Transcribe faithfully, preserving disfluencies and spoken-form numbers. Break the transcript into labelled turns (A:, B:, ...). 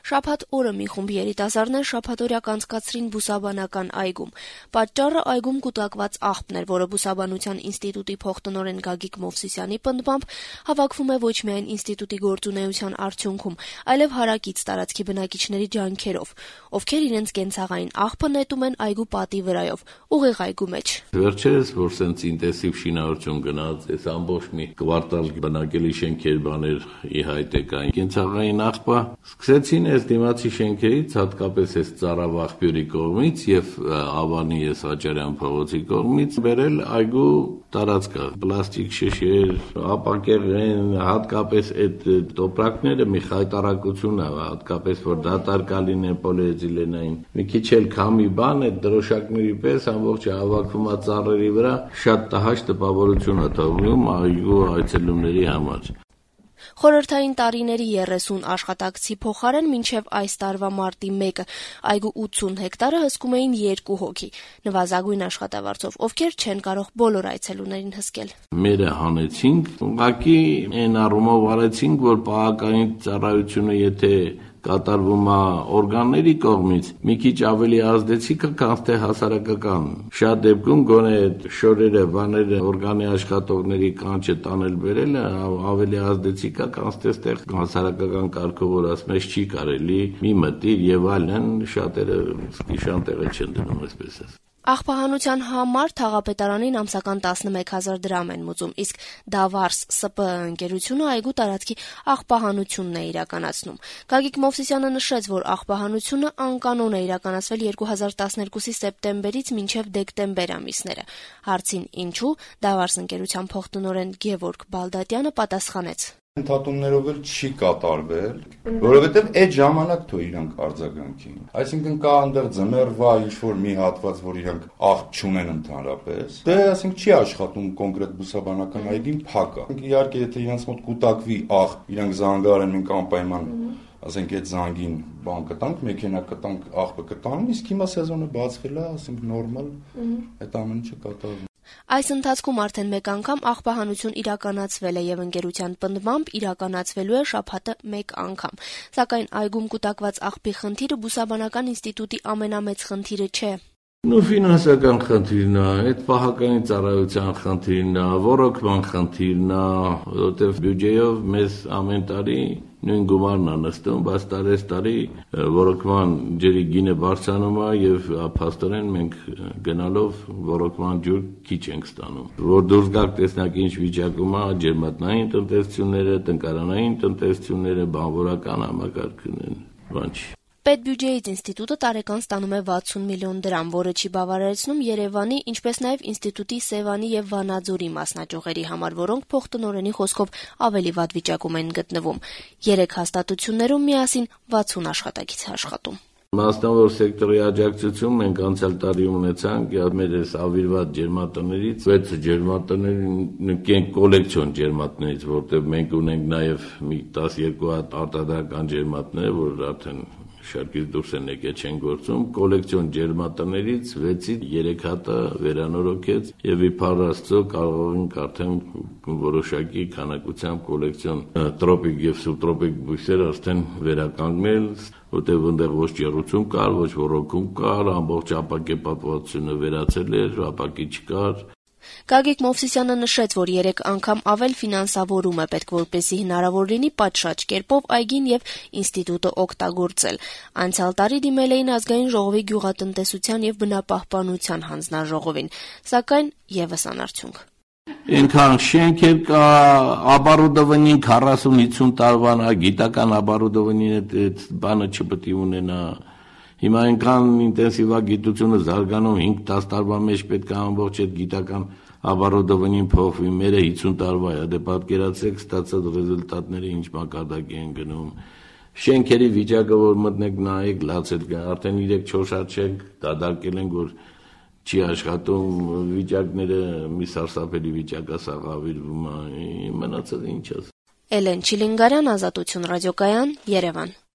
A: Շաբաթ օրը մի խումբ երիտասարդներ շաբաթօրյա կանցկացրին Բուսաբանական այգում։ Պատճառը այգում կուտակված աղբն էր, որը Բուսաբանության ինստիտուտի փոխտնօրեն Գագիկ Մովսիսյանի պնդմամբ հավաքվում է ոչ միայն ինստիտուտի գործունեության արդյունքում, այլև հարակից տարածքի բնակիչների ջանքերով, ովքեր իրենց կենցաղային աղբը նետում են այգու պատի վրայով, ուղիղ այգու մեջ։
B: Վերջերս, որ սենց ինտենսիվ շինարարություն գնաց, այս ամբողջ մի կվարտալ բնակելի շենքեր բաներ ի հայտ եկան։ Կենցաղային աղբը սկսեցին այս դիմացի շենքերից, հատկապես այս Ծարավ աղբյուրի կողմից եւ Ավանի այս Աճարյան փողոցի կողմից բերել այգու տարածքը, պլաստիկ շշեր, ապակեղեն, հատկապես այդ տոպրակները մի խայտարակություն է, հատկապես որ դատարկալին է պոլիէթիլենային։ Մի քիչ էլ քամի բան է, դրոշակների պես ամբողջը հավաքվում է ծառերի վրա, շատ տհաճ տպավորություն է թողնում այգու այցելուների համար։
A: Խորհրդային տարիների երեսուն աշխատակցի փոխարեն մինչև այս տարվա մարտի մեկը այգու ութսուն հեկտարը հսկում էին երկու հոգի, նվազագույն աշխատավարձով, ովքեր չեն կարող բոլոր այցելուներին հսկել։
B: Մերը հանեցինք, ուղղակի այն առումով արեցինք, որ պահակային ծառայությունը եթե կատարվում է օրգանների կողմից, մի քիչ ավելի ազդեցիկ է, քան թե հասարակական։ Շատ դեպքում գոնե շորերը, բաները, օրգանի աշխատողների կանչը տանել բերելը ավելի ազդեցիկ է, քան այստեղ հասարակական կարգով որ ասում ես չի կարելի, մի մտիր եւ այլն, շատերը սկիշան տեղը չեն դնում այսպես ասած։
A: Աղբահանության համար թաղապետարանին ամսական տասնմեկ հազար դրամ են մուծում, իսկ Դավարս Ս Պ ընկերությունը այգու տարածքի աղբահանությունն է իրականացնում։ Գագիկ Մովսիսյանը նշեց, որ աղբահանությունը անկանոն է իրականացվել երկու հազար տասներկուսի սեպտեմբերից մինչև դեկտեմբեր ամիսները։ Հարցին ինչու, Դավարս ընկերության փոխտնօրեն Գևորգ Բալդատյանը պատասխանեց.
C: Ընդհատումներով էլ չի կատարվել, որովհետև այդ ժամանակ թող իրանք արձագանքին։ Այսինքն կա այնտեղ ձմեռվա ինչ-որ մի հատված, որ իրանք աղբ չունեն ընդհանրապես։ Դե ասենք չի աշխատում կոնկրետ Բուսաբանական այգին փակ է։ Իհարկե, եթե իրանք մոտ կուտակվի աղբ, իրանք զանգարեն մենք անպայման ասենք այդ զանգին բան կտանք, մեքենա կտանք, աղբը կտանեն, իսկ հիմա սեզոնը բացվել է, ասենք նորմալ, այդ ամենը չկատարվում։
A: Այս ընթացքում արդեն մեկ անգամ աղբահանություն իրականացվել է եւ ընկերության պնդմամբ իրականացվելու է շաբաթը մեկ անգամ։ Սակայն այգում կուտակված աղբի խնդիրը Բուսաբանական ինստիտուտի ամենամեծ խնդիրը չէ։
B: Նու ֆինանսական խնդիրն է, այդ պահակային ծառայության խնդիրն է, ռոռոկման խնդիրն է, որովհետև բյուջեով մեզ ամեն տարի նույն գումարն է նստում, բայց տարես տարի ռոռոկման ջրի գինը բարձրանում է եւ փաստորեն մենք գնալով ռոռոկման ջուր քիչ ենք ստանում։ Որ դուրս գաք տեսնակ ինչ վիճակում է ջերմատնային տնտեսությունները, տնկարանային տնտեսությունները, բանվորական համակարգն են, բան չի։
A: Պետբյուջեից ինստիտուտը տարեկան ստանում է վաթսուն միլիոն դրամ, որը չի բավարարեցնում Երևանի, ինչպես նաև ինստիտուտի Սևանի եւ Վանաձորի մասնաճյուղերի համար, որոնք փոխտնօրենի խոսքով ավելի վատ վիճակում են գտնվում։ Երեք հաստատություններում միասին վաթսուն աշխատակից է աշխատում։
B: Մասնավոր սեկտորի աջակցություն մենք անցյալ տարի ունեցանք մեր այս ավիրված ջերմատներից, վեց ջերմատների կոլեկցիոն ջերմատներից, որտեղ մենք ունենք նաև մի տասներկու հատ արտադրական ջերմատներ, որ արդեն շարքից դուրս են եկել չեն գործում, կոլեկցիոն ջերմատներից վեցից երեք հատը վերանորոգեց եւ իբար Աստծո կարող ենք արդեն որոշակի քանակությամբ կոլեկցիոն տրոպիկ եւ սուբտրոպիկ բույսեր արդեն վերականգնել, որտեղ այնտեղ ոչ ջեռուցում կար, ոչ ռոռոկում կար, ամբողջ ապակե պատվությունը վերացել էր, ապակի չկար։
A: Գագիկ Մովսիսյանը նշեց, որ երեք անգամ ավել ֆինանսավորում է պետք, որպեսզի հնարավոր լինի պատշաճ կերպով այգին եւ ինստիտուտը օգտագործել։ Անցյալ տարի դիմել էին ազգային ժողովի գյուղատնտեսության եւ բնապահպանության հանձնաժողովին, սակայն եւս անարդյունք։
B: Ինքան շենքեր կա, оборудованին քառասուն հիսուն տարվան, գիտական оборудованին այդ բանը չպետք է ունենա։ Հիմա այնքան ինտենսիվ է գիտությունը զարգանում, հինգ-տասը տարվա մեջ պետք է ամբողջ այդ գիտական оборудованին փոխվի, մերը հիսուն տարվա է, դե պատկերացրեք ստացած ռեզուլտատները ինչ մակարդակի են գնում։ Շենքերի վիճակը որ մտնեք նայեք, լաց է, արդեն երեք-չորս հատ շենք դադարել են, որ չի աշխատում, վիճակները մի սարսափելի վիճակ է, սաղավիրվում է, մնացած ինչ ասեմ։
A: Էլեն Չիլինգարյան, Ազատություն ռադիոկայան, Երևան։